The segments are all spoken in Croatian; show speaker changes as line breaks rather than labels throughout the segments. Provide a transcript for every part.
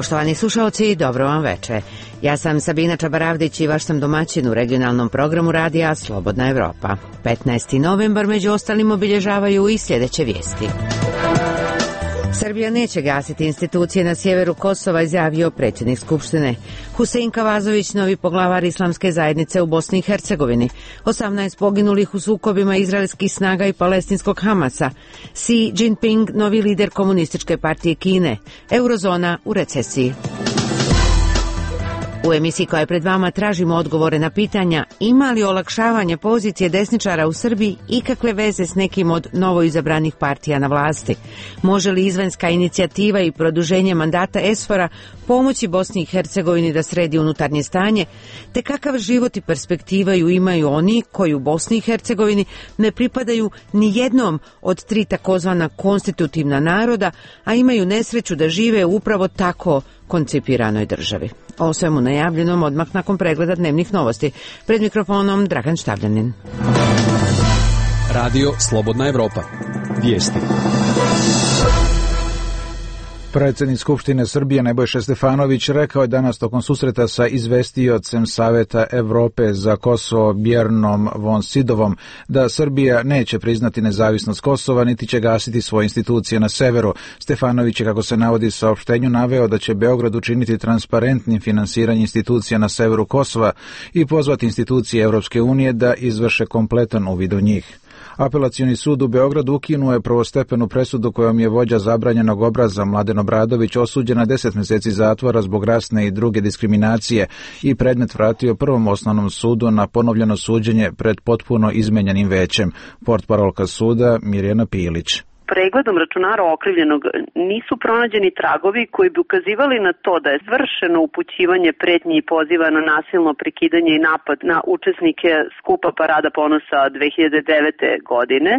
Poštovani slušalci, dobro vam veče. Ja sam Sabina Čabaravdić i vaš sam domaćin u regionalnom programu radija Slobodna Evropa. 15. novembar među ostalim obilježavaju i sljedeće vijesti. Srbija neće gasiti institucije na sjeveru Kosova, izjavio predsjednik Skupštine. Husein Kavazović, novi poglavar islamske zajednice u Bosni i Hercegovini. 18 poginulih u sukobima izraelskih snaga i palestinskog Hamasa. Xi Jinping, novi lider komunističke partije Kine. Eurozona u recesiji. U emisiji koja je pred vama tražimo odgovore na pitanja ima li olakšavanje pozicije desničara u Srbiji ikakve veze s nekim od novoizabranih partija na vlasti. Može li izvanjska inicijativa i produženje mandata ESFOR-a pomoći Bosni i Hercegovini da sredi unutarnje stanje, te kakav život i perspektivaju imaju oni koji u Bosni i Hercegovini ne pripadaju ni jednom od tri takozvana konstitutivna naroda, a imaju nesreću da žive u upravo tako koncipiranoj državi. O svemu najavljenom odmah nakon pregleda dnevnih novosti. Pred mikrofonom Dragan Štavljanin.
Radio Slobodna Evropa. Vijesti.
Predsjednik Skupštine Srbije Nebojša Stefanović rekao je danas tokom susreta sa izvestiocem Saveta Evrope za Kosovo Bjernom von Sidovom da Srbija neće priznati nezavisnost Kosova niti će gasiti svoje institucije na severu. Stefanović je, kako se navodi u saopštenju, naveo da će Beograd učiniti transparentnim finansiranje institucija na severu Kosova i pozvati institucije Europske unije da izvrše kompletan uvid u njih. Apelacioni sud u Beogradu ukinuo je prvostepenu presudu kojom je vođa zabranjenog obraza Mladen Obradović osuđen na 10 mjeseci zatvora zbog rasne i druge diskriminacije i predmet vratio Prvom osnovnom sudu na ponovljeno suđenje pred potpuno izmenjenim većem. Portparolka suda Mirjana Pilić.
Pregledom računara okrivljenog nisu pronađeni tragovi koji bi ukazivali na to da je vršeno upućivanje pretnji i poziva na nasilno prekidanje i napad na učesnike skupa Parada ponosa 2009. godine,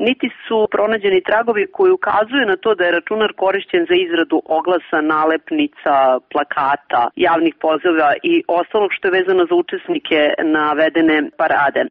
niti su pronađeni tragovi koji ukazuju na to da je računar korišćen za izradu oglasa, nalepnica, plakata, javnih poziva i ostalog što je vezano za učesnike navedene parade.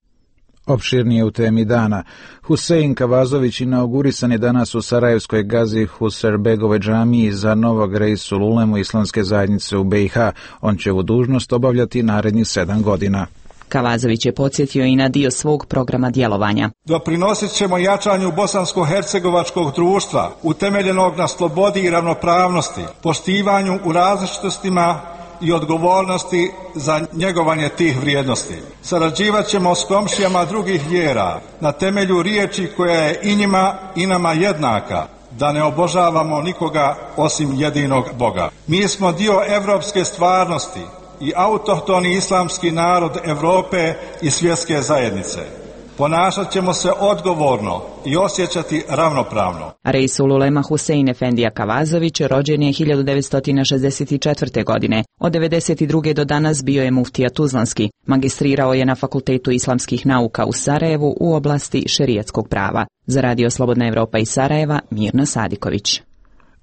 Opširnije u temi dana. Husein Kavazović inaugurisan je danas u sarajevskoj Gazi Huserbegovoj džamiji za novog Reisul Ulemu islamske zajednice u BiH. On će ovu dužnost obavljati narednih 7 godina.
Kavazović je podsjetio i na dio svog programa djelovanja.
Doprinosit ćemo jačanju bosansko-hercegovačkog društva, utemeljenog na slobodi i ravnopravnosti, poštivanju u različitostima i odgovornosti za njegovanje tih vrijednosti. Sarađivat ćemo s komšijama drugih vjera na temelju riječi koja je i njima i nama jednaka, da ne obožavamo nikoga osim jedinog Boga. Mi smo dio evropske stvarnosti i autohtoni islamski narod Europe i svjetske zajednice. Ponašat ćemo se odgovorno i osjećati ravnopravno.
Reisul Ulema Husein Efendija Kavazović rođen je 1964. godine. Od 1992. do danas bio je muftija Tuzlanski. Magistrirao je na Fakultetu islamskih nauka u Sarajevu u oblasti šerijatskog prava. Za Radio Slobodna Evropa iz Sarajeva, Mirna Sadiković.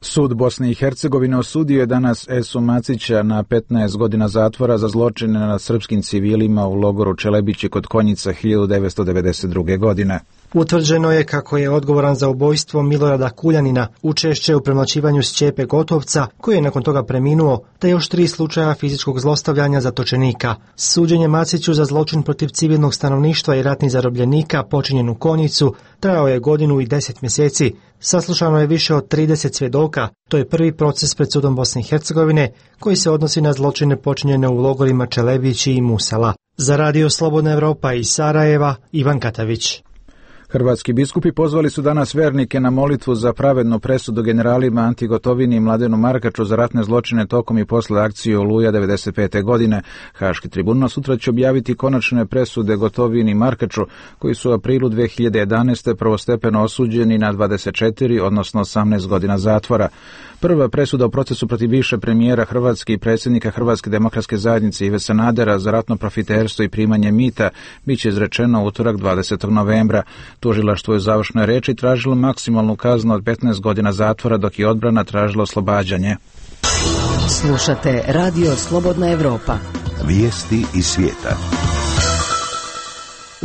Sud Bosne i Hercegovine osudio je danas Esu Macića na 15 godina zatvora za zločine nad srpskim civilima u logoru Čelebići kod Konjica 1992. godine.
Utvrđeno je kako je odgovoran za ubojstvo Milorada Kuljanina, učešće u premlaćivanju Šćepe Gotovca, koji je nakon toga preminuo, te još 3 slučaja fizičkog zlostavljanja zatočenika. Suđenje Maciću za zločin protiv civilnog stanovništva i ratnih zarobljenika počinjen u Konjicu trajao je 1 godinu i 10 mjeseci. Saslušano je više od 30 svjedoka. To je prvi proces pred sudom Bosne i Hercegovine koji se odnosi na zločine počinjene u logorima Čelebići i Musala. Za Radio Slobodna Evropa iz Sarajeva, Ivan Katavić.
Hrvatski biskupi pozvali su danas vernike na molitvu za pravednu presudu generalima Anti Gotovini i Mladenu Markaču za ratne zločine tokom i posle akcije Oluja 1995. godine. Haški tribunal sutra će objaviti konačne presude Gotovini i Markaču, koji su u aprilu 2011. prvostepeno osuđeni na 24, odnosno 18 godina zatvora. Prva presuda u procesu protiv bivšeg premijera Hrvatske i predsjednika Hrvatske demokratske zajednice Ive Sanadera za ratno profiterstvo i primanje mita biće izrečeno u utorak 20. novembra. Tužilaštvo je u završnoj reči tražilo maksimalnu kaznu od 15 godina zatvora, dok je odbrana tražila oslobađanje.
Slušate Radio Slobodna Evropa.
Vijesti iz svijeta.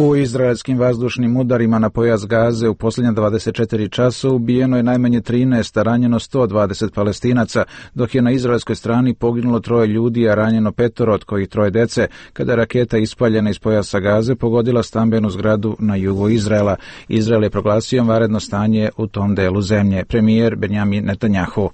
U izraelskim vazdušnim udarima na pojas Gaze u posljednja 24 časa ubijeno je najmanje 13, a ranjeno 120 Palestinaca, dok je na izraelskoj strani poginulo 3 ljudi, a ranjeno 5, od kojih 3 dece, kada je raketa ispaljena iz pojasa Gaze pogodila stambenu zgradu na jugu Izraela. Izrael je proglasio vanredno stanje u tom delu zemlje. Premijer Benjamin Netanjahu.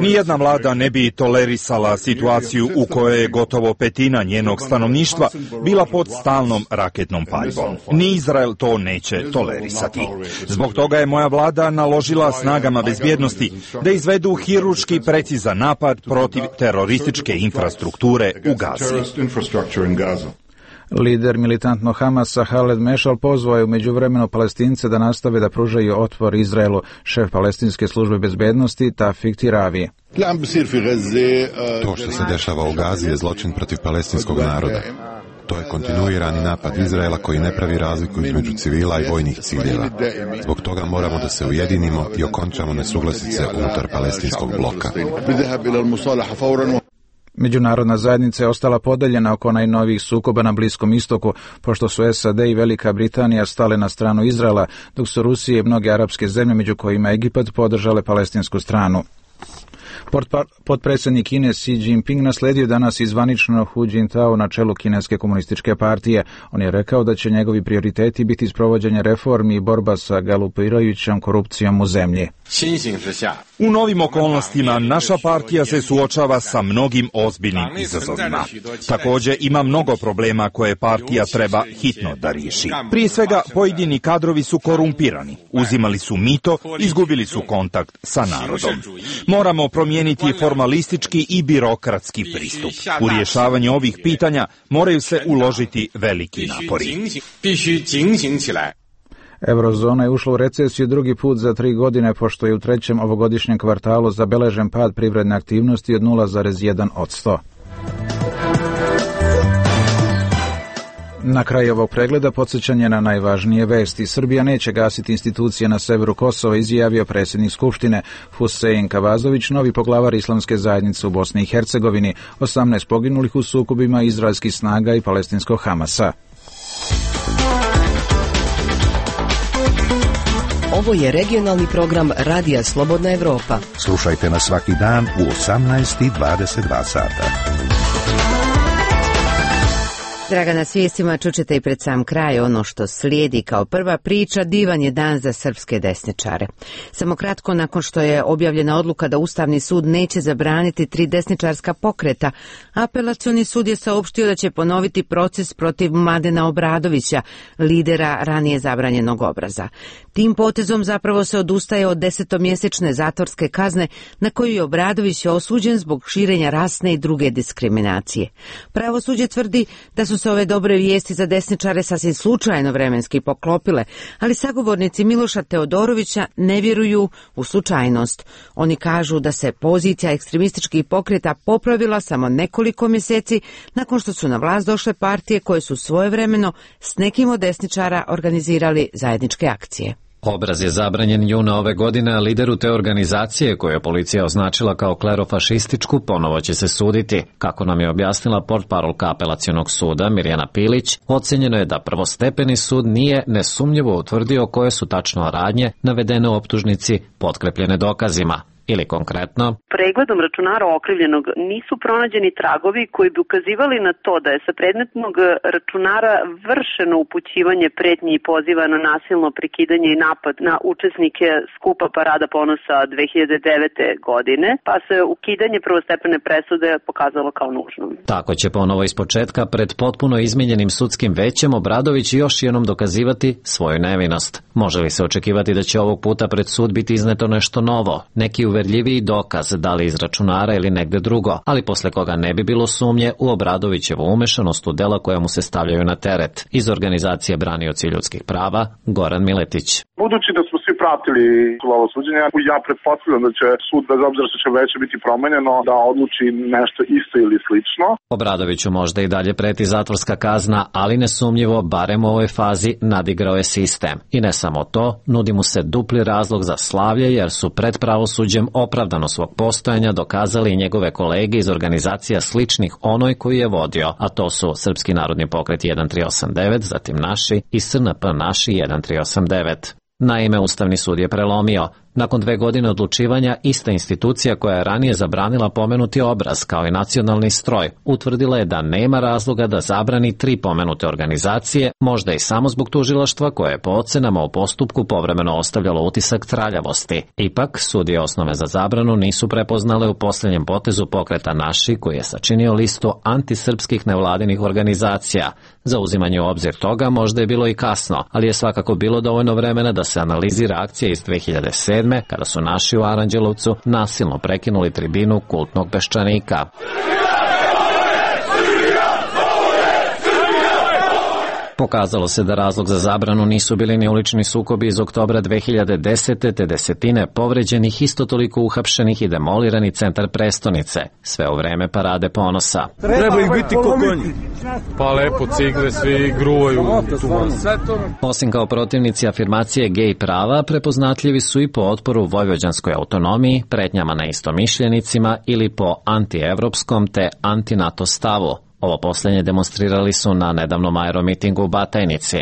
Nijedna vlada ne bi tolerisala situaciju u kojoj je gotovo 1/5 njenog stanovništva bila pod stalnom raketnom paljbom. Ni Izrael to neće tolerisati. Zbog toga je moja vlada naložila snagama bezbjednosti da izvedu hirurški precizan napad protiv terorističke infrastrukture u Gazi.
Lider militantnog Hamasa Haled Mešal pozvao je u međuvremenu Palestince da nastave da pružaju otpor Izraelu. Šef palestinske službe bezbednosti Tafik Tiravi.
To što se dešava u Gazi je zločin protiv palestinskog naroda. To je kontinuirani napad Izraela koji ne pravi razliku između civila i vojnih ciljeva. Zbog toga moramo da se ujedinimo i okončamo nesuglasice unutar palestinskog bloka.
Međunarodna zajednica je ostala podeljena oko najnovijih sukoba na Bliskom istoku, pošto su SAD i Velika Britanija stale na stranu Izraela, dok su Rusije i mnoge arapske zemlje, među kojima Egipat, podržale palestinsku stranu. Potpredsjednik Kine Xi Jinping nasledio danas izvanično Hu Jintao na čelu Kineske komunističke partije. On je rekao da će njegovi prioriteti biti sprovođenje reformi i borba sa galopirajućom korupcijom u zemlji.
U novim okolnostima naša partija se suočava sa mnogim ozbiljnim izazovima. Također ima mnogo problema koje partija treba hitno da riješi. Prije svega, pojedini kadrovi su korumpirani, uzimali su mito, izgubili su kontakt sa narodom. Moramo promijeniti formalistički i birokratski pristup. U rješavanju ovih pitanja moraju se uložiti veliki napori.
Eurozona je ušla u recesiju drugi put za 3 godine, pošto je u 3. ovogodišnjem kvartalu zabeležen pad privredne aktivnosti od 0,1%. Na kraju ovog pregleda podsjećanje na najvažnije vesti. Srbija neće gasiti institucije na severu Kosova, izjavio predsjednik Skupštine Husein Kavazović, novi poglavar Islamske zajednice u Bosni i Hercegovini. 18 poginulih u sukobima izraelskih snaga i palestinskog Hamasa.
Ovo je regionalni program Radija Slobodna Evropa.
Slušajte nas svaki dan u 18:22 sata.
Dragana, s vijestima čućete i pred sam kraj ono što slijedi kao prva priča. Divan je dan za srpske desničare. Samo kratko nakon što je objavljena odluka da Ustavni sud neće zabraniti 3 desničarska pokreta, Apelacioni sud je saopštio da će ponoviti proces protiv Mladena Obradovića, lidera ranije zabranjenog obraza. Tim potezom zapravo se odustaje od 10-mjesečne zatvorske kazne na koju je Obradović osuđen zbog širenja rasne i druge diskriminacije. Pravosuđe tvrdi da su se ove dobre vijesti za desničare sasvim slučajno vremenski poklopile, ali sagovornici Miloša Teodorovića ne vjeruju u slučajnost. Oni kažu da se pozicija ekstremističkih pokreta popravila samo nekoliko mjeseci nakon što su na vlast došle partije koje su svojevremeno s nekim od desničara organizirali zajedničke akcije.
Obraz je zabranjen juna ove godine, a lideru te organizacije, koju je policija označila kao klerofašističku, ponovo će se suditi. Kako nam je objasnila portparolka Apelacionog suda Mirjana Pilić, ocenjeno je da prvostepeni sud nije nesumnjivo utvrdio koje su tačno radnje navedene u optužnici potkrepljene dokazima. Ili konkretno,
pregledom računara okrivljenog nisu pronađeni tragovi koji bi ukazivali na to da je sa predmetnog računara vršeno upućivanje pretnji i poziva na nasilno prekidanje i napad na učesnike skupa Parada ponosa 2009. godine, pa se ukidanje prvostepene presude pokazalo kao nužno.
Tako će ponovo ispočetka pred potpuno izmijenjenim sudskim većem Obradović još jednom dokazivati svoju nevinost. Može li se očekivati da će ovog puta pred sud biti izneto nešto novo, neki uverljiviji dokaz, da li iz računara ili negde drugo, ali posle koga ne bi bilo sumnje u Obradovićevu umešanost u dela koja mu se stavljaju na teret. Iz organizacije Branioci ljudskih prava, Goran Miletić.
Budući da smo svi pratili ovo suđenje, ja pretpostavljam da će sud, bez obzira što će veće biti promenjeno, da odluči nešto isto ili slično.
Obradoviću možda i dalje preti zatvorska kazna, ali nesumnjivo, barem u ovoj fazi, nadigrao je sistem. I ne samo to, nudi mu se dupli razlog za slavlje, jer su pred pravosuđem opravdano svog postojanja dokazali i njegove kolege iz organizacija sličnih onoj koju je vodio, a to su Srpski narodni pokret 1389, zatim Naši i SNP Naši 1389. Naime, Ustavni sud je prelomio. Nakon 2 godine odlučivanja, ista institucija koja je ranije zabranila pomenuti obraz kao i nacionalni stroj, utvrdila je da nema razloga da zabrani 3 pomenute organizacije, možda i samo zbog tužilaštva koje je po ocenama u postupku povremeno ostavljalo utisak traljavosti. Ipak, sudije osnove za zabranu nisu prepoznale u posljednjem potezu pokreta Naši, koji je sačinio listu antisrpskih nevladinih organizacija. Za uzimanje u obzir toga možda je bilo i kasno, ali je svakako bilo dovoljno vremena da se analizira akcija iz 2007. kada su Naši u Aranđelovcu nasilno prekinuli tribinu kultnog peščanika. Pokazalo se da razlog za zabranu nisu bili ni ulični sukobi iz oktobra 2010. te desetine povređenih, isto toliko uhapšenih i demolirani centar prestonice, sve u vreme parade ponosa.
Treba ih biti ko konji. Pa lepo cigle, svi gruvaju.
Osim kao protivnici afirmacije gej prava, prepoznatljivi su i po otporu vojvođanskoj autonomiji, pretnjama na istomišljenicima ili po antievropskom te anti-NATO stavu. Ovo posljednje demonstrirali su na nedavnom aeromitingu u Batajnici.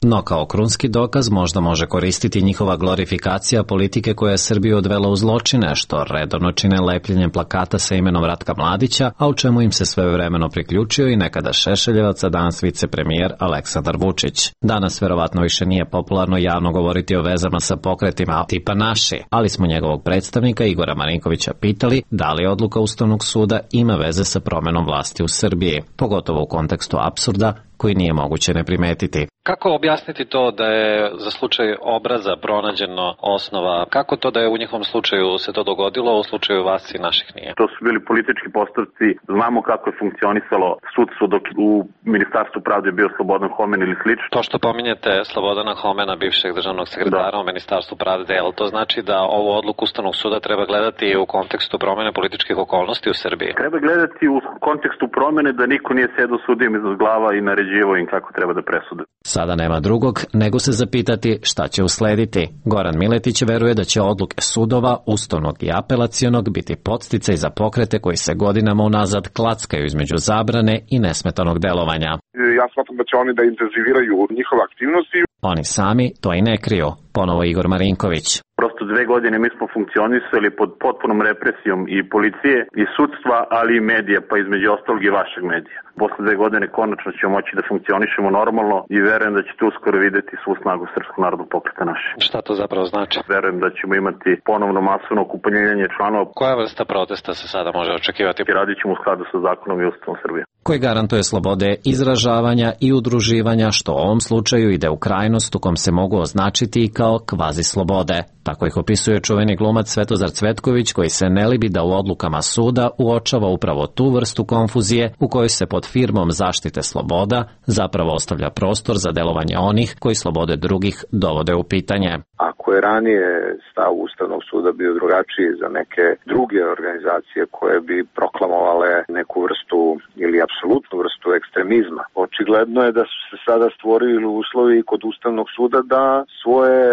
No kao krunski dokaz možda može koristiti njihova glorifikacija politike koja je Srbiju odvela u zločine, što redovno čine lepljenjem plakata sa imenom Ratka Mladića, a u čemu im se svevremeno priključio i nekada Šešeljevac, a danas vicepremijer Aleksandar Vučić. Danas verovatno više nije popularno javno govoriti o vezama sa pokretima tipa Naši, ali smo njegovog predstavnika Igora Marinkovića pitali da li odluka Ustavnog suda ima veze sa promenom vlasti u Srbiji, pogotovo u kontekstu apsurda koji nije moguće ne primetiti. Kako objasniti to da je za slučaj obraza pronađeno osnova? Kako to da je u njihovom slučaju se to dogodilo, a u slučaju vas i naših nije?
To su bili politički postupci. Znamo kako je funkcionisalo sudstvo dok u Ministarstvu pravde je bio Slobodan Homen ili slično.
To što pominjete Slobodana Homena, bivšeg državnog sekretara u Ministarstvu pravde, jel to znači da ovu odluku Ustavnog suda treba gledati u kontekstu promene političkih okolnosti u Srbiji?
Treba gledati u kontekstu promene da niko nije sedao sudijem iznad glava i naređivo im kako treba da presude.
Sada nema drugog nego se zapitati šta će uslediti. Goran Miletić veruje da će odluke sudova, ustavnog i apelacionog biti podsticaj za pokrete koji se godinama unazad klackaju između zabrane i nesmetanog delovanja.
Ja smatram da će oni da intenziviraju njihove aktivnosti.
Oni sami to i ne kriju, ponovo Igor Marinković.
Prosto 2 godine mi smo funkcionisali pod potpunom represijom i policije i sudstva, ali i medija, pa između ostalog i vašeg medija. Posle 2 godine konačno ćemo moći da funkcionišemo normalno i verujem da ćete uskoro videti svu snagu Srpskog narodnog pokreta Naši.
Šta to zapravo znači?
Verujem da ćemo imati ponovno masovno okupljenje članova.
Koja vrsta protesta se sada može očekivati?
Radit ćemo u skladu sa zakonom i Ustavom Srbije. Koji
garantuje slobode izražavanja i udruživanja, što u ovom slučaju ide u krajnost u kom se mogu označiti i kao kvazi slobode. Tako ih opisuje čuveni glumac Svetozar Cvetković, koji se ne libi da u odlukama suda uočava upravo tu vrstu konfuzije u kojoj se pod firmom zaštite sloboda zapravo ostavlja prostor za delovanje onih koji slobode drugih dovode u pitanje.
Ako je ranije stav Ustavnog suda bio drugačiji za neke druge organizacije koje bi proklamovale neku vrstu ili apsolutnu vrstu ekstremizma, očigledno je da su se sada stvorili uslovi kod Ustavnog suda da svoje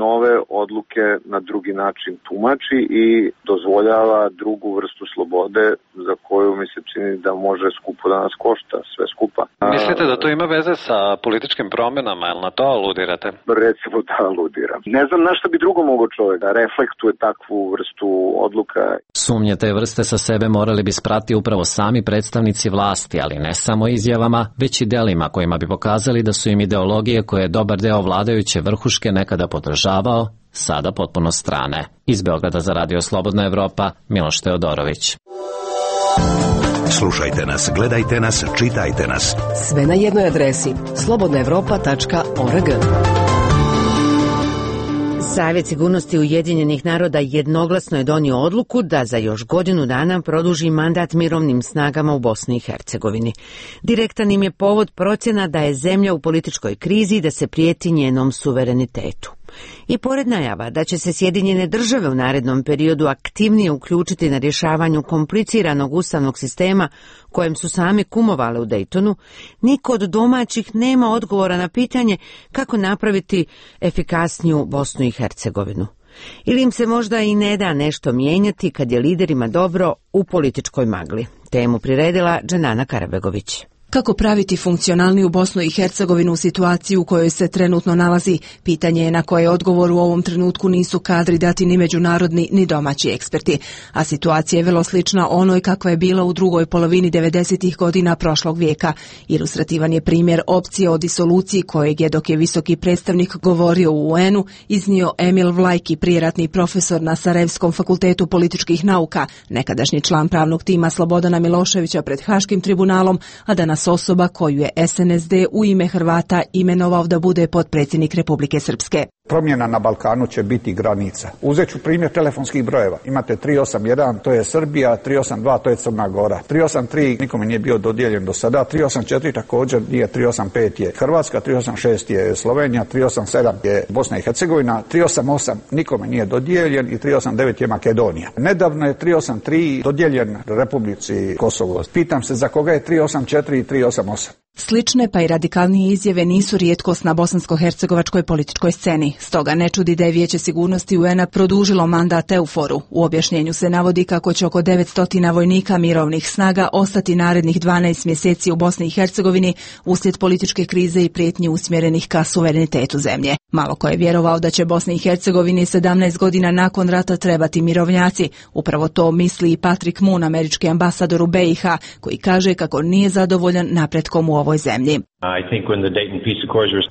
nove odluke na drugi način tumači i dozvoljava drugu vrstu slobode za koju mi se čini da može skupo da nas košta, sve skupa.
Mislite da to ima veze sa političkim promenama, jel na to aludirate?
Recimo da aludiram. Ne znam na što bi drugo mogao čovjek da reflektuje takvu vrstu odluka.
Sumnje te vrste sa sebe morali bi sprati upravo sami predstavnici vlasti, ali ne samo izjavama, već i delima kojima bi pokazali da su im ideologije koje je dobar deo vladajuće vrhuške nekada podržavao, sada potpuno strane. Iz Beograda za Radio Slobodna Evropa, Miloš Teodorović.
Slušajte nas, gledajte nas, čitajte nas.
Sve na jednoj adresi slobodnaevropa.org.
Savjet sigurnosti Ujedinjenih naroda jednoglasno je donio odluku da za još godinu dana produži mandat mirovnim snagama u Bosni i Hercegovini. Direktan im je povod procjena da je zemlja u političkoj krizi i da se prijeti njenom suverenitetu. I pored najava da će se Sjedinjene države u narednom periodu aktivnije uključiti na rješavanju kompliciranog ustavnog sistema kojem su sami kumovale u Daytonu, niko od domaćih nema odgovora na pitanje kako napraviti efikasniju Bosnu i Hercegovinu. Ili im se možda i ne da nešto mijenjati kad je liderima dobro u političkoj magli. Temu priredila Dženana Karabegović.
Kako praviti funkcionalniju Bosnu i Hercegovinu u situaciji u kojoj se trenutno nalazi, pitanje je na koje odgovor u ovom trenutku nisu kadri dati ni međunarodni ni domaći eksperti, a situacija je vrlo slična onoj kakva je bila u drugoj polovini 90. godina prošlog vijeka. Ilustrativan je primjer opcije o disoluciji kojeg je, dok je visoki predstavnik govorio u UN-u, iznio Emil Vlajki, prijeratni profesor na Sarajevskom fakultetu političkih nauka, nekadašnji član pravnog tima Slobodana Miloševića pred Haškim tribunalom, a danas osoba koju je SNSD u ime Hrvata imenovao da bude potpredsjednik Republike Srpske.
Promjena na Balkanu će biti granica. Uzet ću primjer telefonskih brojeva. Imate 381, to je Srbija, 382, to je Crna Gora. 383 nikome nije bio dodijeljen do sada, 384 također nije, 385 je Hrvatska, 386 je Slovenija, 387 je Bosna i Hercegovina, 388 nikome nije dodijeljen i 389 je Makedonija. Nedavno je 383 dodijeljen Republici Kosovo. Pitam se za koga je 384 i 388.
Slične pa i radikalnije izjave nisu rijetkost na bosansko-hercegovačkoj političkoj sceni. Stoga ne čudi da je Vijeće sigurnosti UN-a produžilo mandat EUFOR-u. U objašnjenju se navodi kako će oko 900 vojnika mirovnih snaga ostati narednih 12 mjeseci u Bosni i Hercegovini uslijed političke krize i prijetnji usmjerenih ka suverenitetu zemlje. Malo ko je vjerovao da će Bosni i Hercegovini 17 godina nakon rata trebati mirovnjaci. Upravo to misli i Patrick Moon, američki ambasador u BiH, koji kaže kako nije zadovoljan napretkom u ovoj zemlji.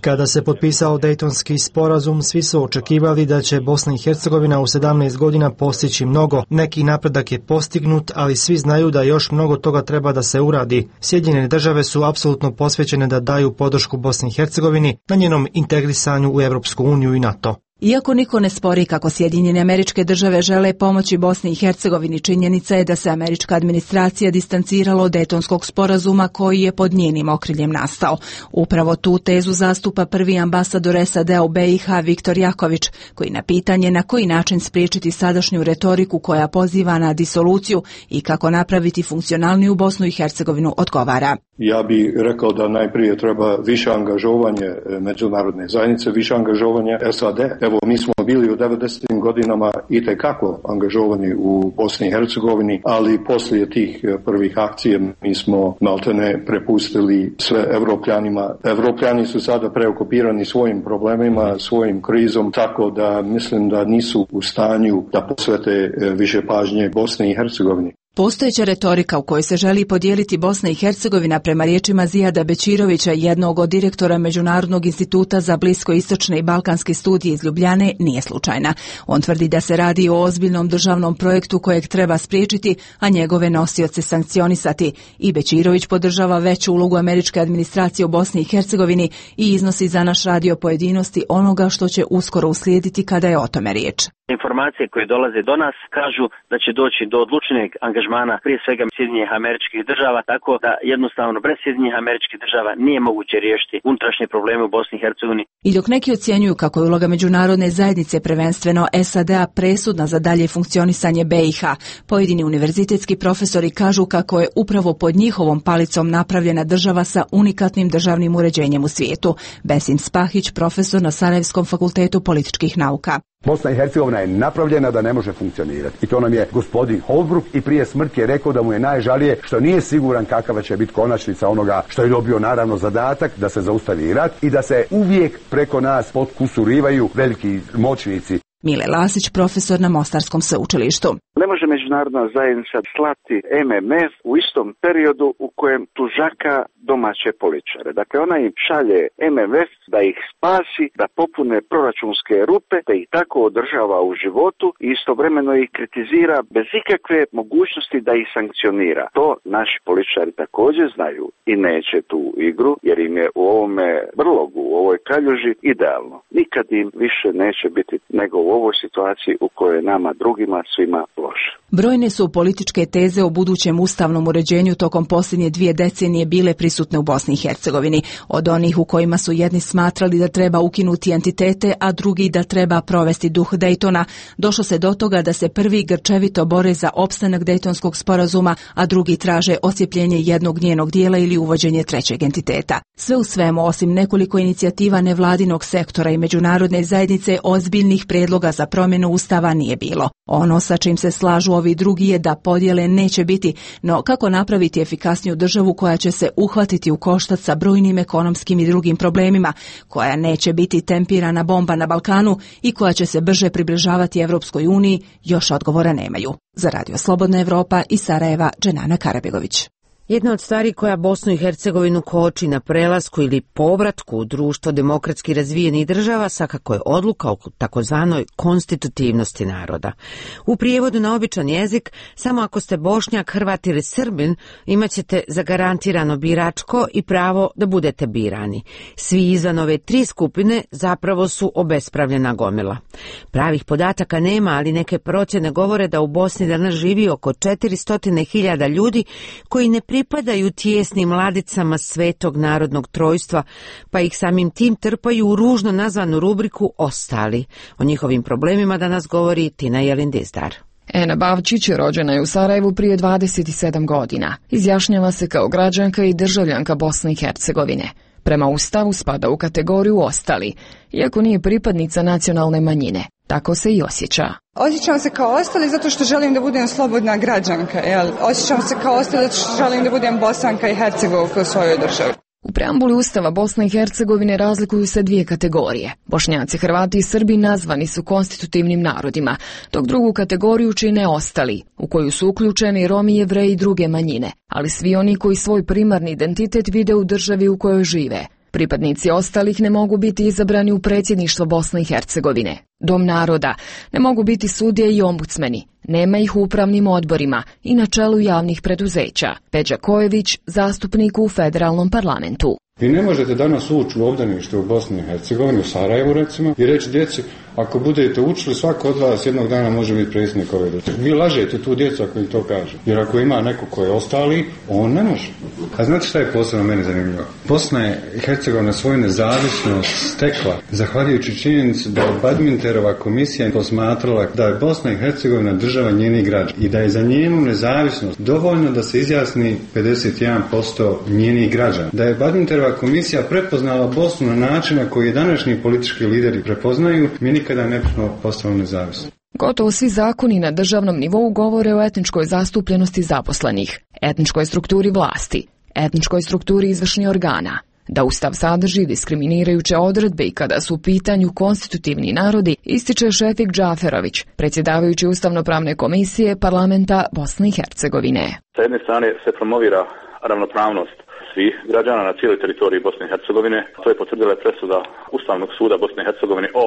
Kada se potpisao Dejtonski sporazum, svi su očekivali da će Bosna i Hercegovina u 17 godina postići mnogo. Neki napredak je postignut, ali svi znaju da još mnogo toga treba da se uradi. Sjedinjene države su apsolutno posvećene da daju podršku Bosni i Hercegovini na njenom integrisanju u Europsku uniju i NATO.
Iako niko ne spori kako Sjedinjene Američke Države žele pomoći Bosni i Hercegovini, činjenica je da se američka administracija distancirala od Dejtonskog sporazuma koji je pod njenim okriljem nastao. Upravo tu tezu zastupa prvi ambasador SAD-a u BiH Viktor Jaković, koji na pitanje na koji način spriječiti sadašnju retoriku koja poziva na disoluciju i kako napraviti funkcionalniju Bosnu i Hercegovinu odgovara.
Ja bih rekao da najprije treba više angažovanje međunarodne zajednice, više angažovanje SAD. Evo, mi smo bili u 90. godinama itekako angažovani u Bosni i Hercegovini, ali poslije tih prvih akcija mi smo maltene prepustili sve Evropljanima. Evropljani su sada preokupirani svojim problemima, svojim krizom, tako da mislim da nisu u stanju da posvete više pažnje Bosni i Hercegovini.
Postojeća retorika u kojoj se želi podijeliti Bosna i Hercegovina, prema riječima Zijada Bečirovića, jednog od direktora Međunarodnog instituta za bliskoistočne i balkanske studije iz Ljubljane, nije slučajna. On tvrdi da se radi o ozbiljnom državnom projektu kojeg treba spriječiti, a njegove nosioce sankcionisati. I Bečirović podržava veću ulogu američke administracije u Bosni i Hercegovini i iznosi za naš radio pojedinosti onoga što će uskoro uslijediti kada je o tome riječ.
Informacije koje dolaze do nas kažu da će doći do odlučnijeg angažmana prije svega Sjedinjenih Američkih Država, tako da jednostavno bez Sjedinjenih Američkih Država nije moguće riješiti unutrašnje probleme u Bosni i Hercegovini.
I dok neki ocjenjuju kako je uloga međunarodne zajednice, prvenstveno SAD-a, presudna za dalje funkcionisanje BiH, pojedini univerzitetski profesori kažu kako je upravo pod njihovom palicom napravljena država sa unikatnim državnim uređenjem u svijetu. Besim Spahić, profesor na Sarajevskom fakultetu političkih nauka.
Bosna i Hercegovina je napravljena da ne može funkcionirati. I to nam je gospodin Holbrooke i prije smrti je rekao da mu je najžalije što nije siguran kakva će biti konačnica onoga što je dobio naravno zadatak da se zaustavi rat i da se uvijek preko nas potkusurivaju veliki moćnici.
Mile Lasić, profesor na Mostarskom sveučilištu.
Ne može međunarodna zajednica slati MMF u istom periodu u kojem tužaka domaće političare. Dakle, ona im šalje MMF da ih spasi, da popune proračunske rupe, da ih tako održava u životu i istovremeno ih kritizira bez ikakve mogućnosti da ih sankcionira. To naši političari također znaju i neće tu igru, jer im je u ovome brlogu, u ovoj kaljuži idealno. Nikad im više neće biti nego u ovoj situaciji u kojoj je nama drugima svima loše.
Brojne su političke teze o budućem ustavnom uređenju tokom posljednje 2 decenije bile prisutne u Bosni i Hercegovini, od onih u kojima su jedni smatrali da treba ukinuti entitete, a drugi da treba provesti duh Daytona. Došlo se do toga da se prvi grčevito bore za opstanak Daytonskog sporazuma, a drugi traže osjepljenje jednog njenog dijela ili uvođenje trećeg entiteta. Sve u svemu, osim nekoliko inicijativa nevladinog sektora i međunarodne zajednice, ozbiljnih predloga za promjenu ustava nije bilo. Ono sa čim se slažu ovi drugi je da podjele neće biti, no kako napraviti efikasniju državu koja će se uhvatiti u koštac sa brojnim ekonomskim i drugim problemima, koja neće biti tempirana bomba na Balkanu i koja će se brže približavati Evropskoj uniji, još odgovora nemaju. Za Radio Slobodna Evropa iz Sarajeva, Dženana Karabegović.
Jedna od stvari koja Bosnu i Hercegovinu koči na prelasku ili povratku u društvo demokratski razvijenih država svakako je odluka o takozvanoj konstitutivnosti naroda. U prijevodu na običan jezik, samo ako ste Bošnjak, Hrvat ili Srbin, imat ćete zagarantirano biračko i pravo da budete birani. Svi izvan ove 3 skupine zapravo su obespravljena gomila. Pravih podataka nema, ali neke procjene govore da u Bosni danas živi oko 400.000 ljudi koji ne pripadaju tijesnim ladicama Svetog narodnog trojstva, pa ih samim tim trpaju u ružno nazvanu rubriku ostali. O njihovim problemima danas govori Tina Jelindizdar.
Ena Bavčić rođena je u Sarajevu prije 27 godina. Izjašnjava se kao građanka i državljanka Bosne i Hercegovine. Prema Ustavu spada u kategoriju ostali, iako nije pripadnica nacionalne manjine. Tako se i osjeća.
Osjećam se kao ostali zato što želim da budem slobodna građanka. Osjećam se kao ostali zato što želim da budem Bosanka i Hercegovka u svojoj državi.
U preambuli Ustava Bosne i Hercegovine razlikuju se 2 kategorije. Bošnjaci, Hrvati i Srbi nazvani su konstitutivnim narodima, dok drugu kategoriju čine ostali, u koju su uključeni Romi, Jevreji i druge manjine, ali svi oni koji svoj primarni identitet vide u državi u kojoj žive. Pripadnici ostalih ne mogu biti izabrani u predsjedništvo Bosne i Hercegovine, Dom naroda, ne mogu biti sudije i ombudsmeni, nema ih u upravnim odborima i na čelu javnih preduzeća. Peđa Kojević, zastupnik u federalnom parlamentu.
Vi ne možete danas ući u obdanište u Bosni i Hercegovini, u Sarajevu recimo, i reći djeci, ako budete učili, svako od vas jednog dana može biti predsjednik ove države. Vi lažete tu djecu ako im to kaže. Jer ako ima neko ko je ostali, on ne može. A znate šta je posebno meni zanimljivo? Bosna i Hercegovina svoju nezavisnost stekla zahvaljujući činjenici da je Badminterova komisija posmatrala da je Bosna i Hercegovina država njenih građana i da je za njenu nezavisnost dovoljno da se izjasni 51% njenih građana. Da je Badminterova komisija prepoznala Bosnu na način na koji današnji politički lideri prepoznaju, mi nikada ne bismo postali nezavisni.
Gotovo svi zakoni na državnom nivou govore o etničkoj zastupljenosti zaposlenih, etničkoj strukturi vlasti, etničkoj strukturi izvršnih organa. Da Ustav sadrži diskriminirajuće odredbe i kada su u pitanju konstitutivni narodi, ističe Šefik Džaferović, predsjedavajući Ustavno-pravne komisije Parlamenta Bosne i Hercegovine.
Sa jedne strane se promovira ravnopravnost svih građana na cijeloj teritoriji Bosne i Hercegovine. To je potvrdila presuda Ustavnog suda Bosne i Hercegovine o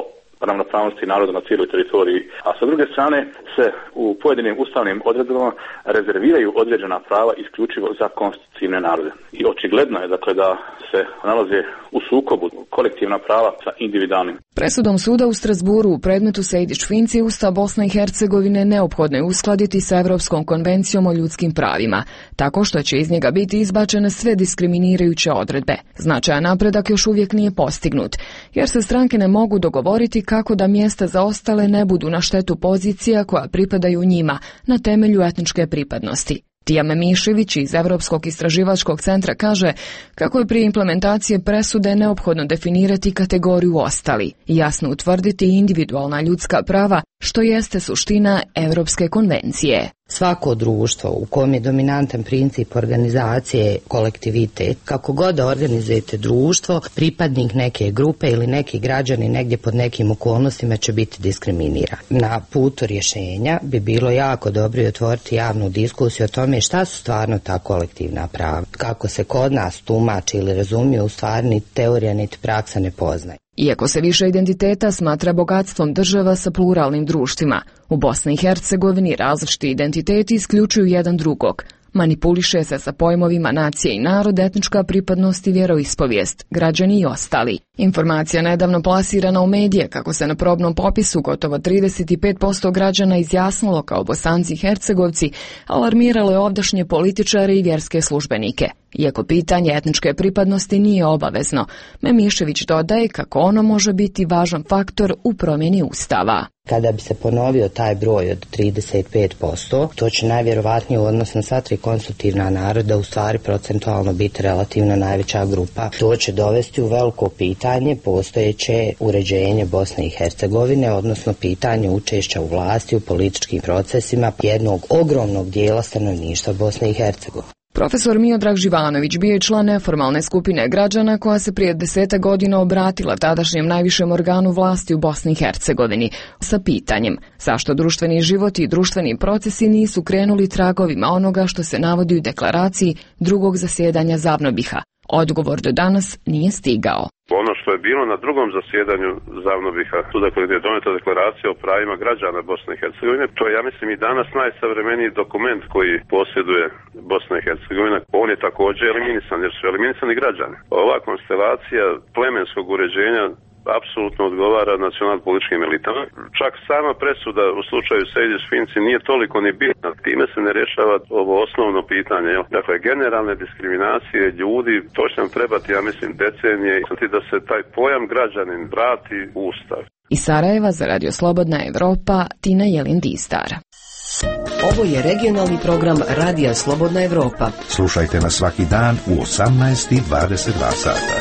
ravnopravnosti naroda na cijeloj teritoriji, a sa druge strane se u pojedinim ustavnim odredbama rezerviraju određena prava isključivo za konstitutivne narode. I očigledno je dakle da se nalaze u sukobu kolektivna prava sa individualnim.
Presudom suda u Strasburu u predmetu Sejdić-Finci Ustav Bosne i Hercegovine neophodno je uskladiti sa Europskom konvencijom o ljudskim pravima, tako što će iz njega biti izbačene sve diskriminirajuće odredbe. Značajan napredak još uvijek nije postignut, jer se stranke ne mogu dogovoriti kako da mjesta za ostale ne budu na štetu pozicija koja pripadaju njima na temelju etničke pripadnosti. Tijame Mišević iz Europskog istraživačkog centra kaže kako je prije implementacije presude neophodno definirati kategoriju ostali i jasno utvrditi individualna ljudska prava, što jeste suština Europske konvencije.
Svako društvo u kojem je dominantan princip organizacije kolektivitet, kako god da organizujete društvo, pripadnik neke grupe ili neki građani negdje pod nekim okolnostima će biti diskriminiran. Na putu rješenja bi bilo jako dobro otvoriti javnu diskusiju o tome šta su stvarno ta kolektivna prava. Kako se kod nas tumači ili razumije, u stvari ni teorija niti praksa ne poznaje.
Iako se više identiteta smatra bogatstvom država sa pluralnim društvima, u Bosni i Hercegovini različiti identiteti isključuju jedan drugog, Manipuliše se sa pojmovima nacije i narod, etnička pripadnost i vjeroispovijest, građani i ostali. Informacija nedavno plasirana u medije kako se na probnom popisu gotovo 35% građana izjasnilo kao Bosanci i Hercegovci, alarmiralo je ovdašnje političare i vjerske službenike. Iako pitanje etničke pripadnosti nije obavezno, Memišević dodaje kako ono može biti važan faktor u promjeni Ustava.
Kada bi se ponovio taj broj od 35%, to će najvjerovatnije u odnosu na sva tri konstitutivna naroda u stvari procentualno biti relativno najveća grupa. To će dovesti u veliko pitanje postojeće uređenje Bosne i Hercegovine, odnosno pitanje učešća u vlasti u političkim procesima jednog ogromnog dijela stanovništva Bosne i Hercegovine.
Profesor Miodrag Živanović bio je član neformalne skupine građana koja se prije 10 godina obratila tadašnjem najvišem organu vlasti u Bosni i Hercegovini sa pitanjem zašto društveni život i društveni procesi nisu krenuli tragovima onoga što se navodi u deklaraciji drugog zasjedanja Zavnobiha. Odgovor do danas nije stigao.
Ono što je bilo na drugom zasjedanju Zavnobiha, tu dakle gdje je doneta deklaracija o pravima građana Bosne i Hercegovine, to je ja mislim i danas najsavremeniji dokument koji posjeduje Bosna i Hercegovina. On je također eliminisan jer su eliminisani građani. Ova konstelacija plemenskog uređenja apsolutno odgovara nacionalno-političkim elitama. Čak sama presuda u slučaju Sejdić-Finci nije toliko ni bitna. Time se ne rješava ovo osnovno pitanje. Dakle, generalne diskriminacije ljudi, to će nam trebati, ja mislim, decenije da se taj pojam građanin vrati u Ustav.
Iz Sarajeva za Radio Slobodna Evropa, Tina Jelin-Distar.
Ovo je regionalni program Radija Slobodna Evropa.
Slušajte nas svaki dan u 18:22 sata.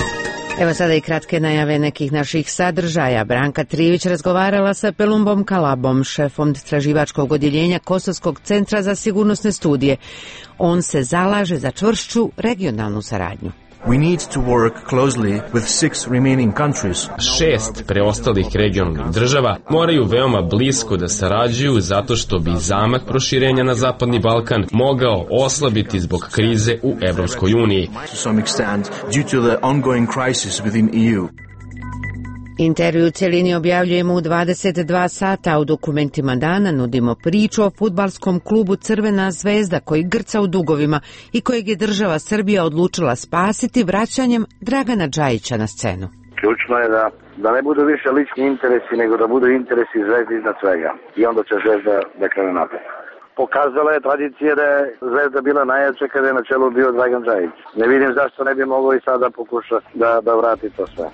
Evo sada i kratke najave nekih naših sadržaja. Branka Trivić razgovarala sa Pelumbom Kalabom, šefom istraživačkog odjeljenja Kosovskog centra za sigurnosne studije. On se zalaže za čvršću regionalnu saradnju.
We need to work closely with 6 remaining countries.
6 preostalih regionalnih država moraju veoma blisko da sarađuju zato što bi zamah proširenja na Zapadni Balkan mogao oslabiti zbog krize u Evropskoj uniji.
To some extent due to the ongoing crisis within EU.
Intervju u cjelini objavljujemo u 22 sata, a u dokumentima dana nudimo priču o fudbalskom klubu Crvena zvezda koji grca u dugovima i kojeg je država Srbija odlučila spasiti vraćanjem Dragana Džajića na scenu.
Ključno je da ne budu više lični interesi, nego da budu interesi Zvezde iznad svega. I onda će Zvezda da krene napred. Pokazala je tradicija da je Zvezda bila najjača kada je na čelu bio Dragan Džajić. Ne vidim zašto ne bi mogao i sada pokuša da vrati to sve.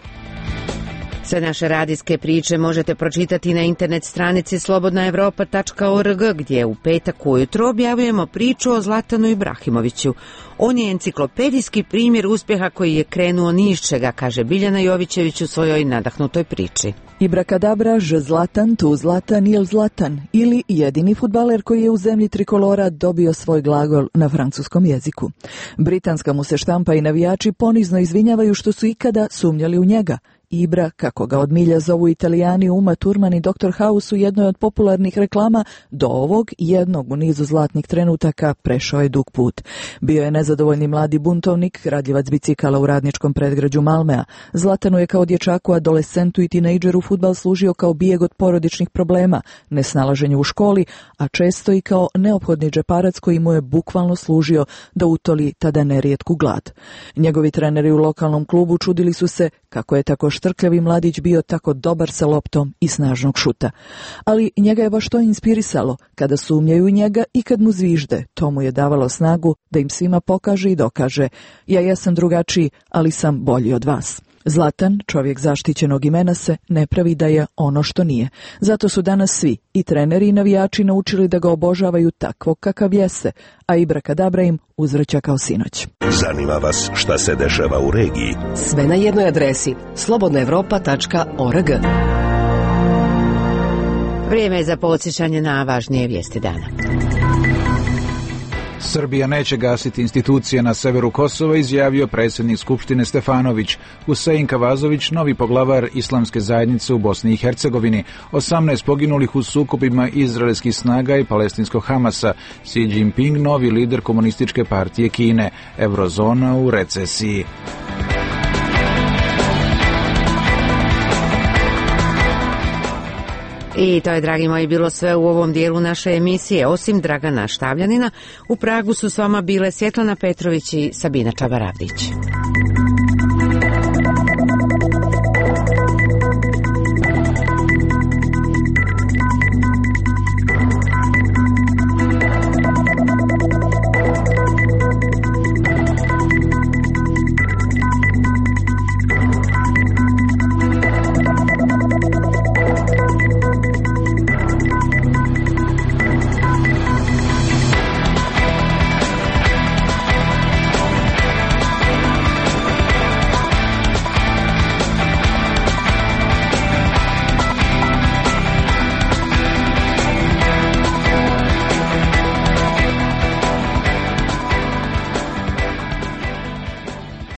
Sve naše radijske priče možete pročitati na internet stranici slobodnaevropa.org gdje u petak ujutro objavljujemo priču o Zlatanu Ibrahimoviću. On je enciklopedijski primjer uspjeha koji je krenuo ni iz čega, kaže Biljana Jovićević u svojoj nadahnutoj priči.
Ibrakadabra, ž Zlatan, tu Zlatan, il Zlatan, ili jedini fudbaler koji je u zemlji trikolora dobio svoj glagol na francuskom jeziku. Britanska mu se štampa i navijači ponizno izvinjavaju što su ikada sumnjali u njega. Ibra, kako ga od milja zovu Italijani, Uma Thurman i Dr. House u jednoj od popularnih reklama, do ovog jednog u nizu zlatnih trenutaka prešao je dug put. Bio je nezadovoljni mladi buntovnik, radljivac bicikala u radničkom predgrađu Malmea. Zlatanu je kao dječaku, adolescentu i tinejdžeru fudbal služio kao bijeg od porodičnih problema, nesnalaženje u školi, a često i kao neophodni džeparac koji mu je bukvalno služio da utoli tada nerijetku glad. Njegovi treneri u lokalnom klubu čudili su se kako je tako štrkljavi mladić bio tako dobar sa loptom i snažnog šuta. Ali njega je baš to inspirisalo, kada sumnjaju u njega i kad mu zvižde. To mu je davalo snagu da im svima pokaže i dokaže: ja jesam drugačiji, ali sam bolji od vas. Zlatan, čovjek zaštićenog imena, se ne pravi da je ono što nije. Zato su danas svi, i treneri i navijači, naučili da ga obožavaju takvog kakav jeste, a Ibrakadabra im uzvraća kao sinoć.
Zanima vas šta se dešava u regiji?
Sve na jednoj adresi: slobodnaevropa.org.
Vrijeme je za podsjećanje na važnije vijesti dana.
Srbija neće gasiti institucije na severu Kosova, izjavio predsjednik Skupštine Stefanović. Husein Kavazović, novi poglavar Islamske zajednice u Bosni i Hercegovini. 18 poginulih u sukobima izraelskih snaga i palestinskog Hamasa. Xi Jinping, novi lider komunističke partije Kine. Eurozona u recesiji.
I to je, dragi moji, bilo sve u ovom dijelu naše emisije. Osim Dragana Štavljanina, u Pragu su s vama bile Svjetlana Petrović i Sabina Čabaravdić.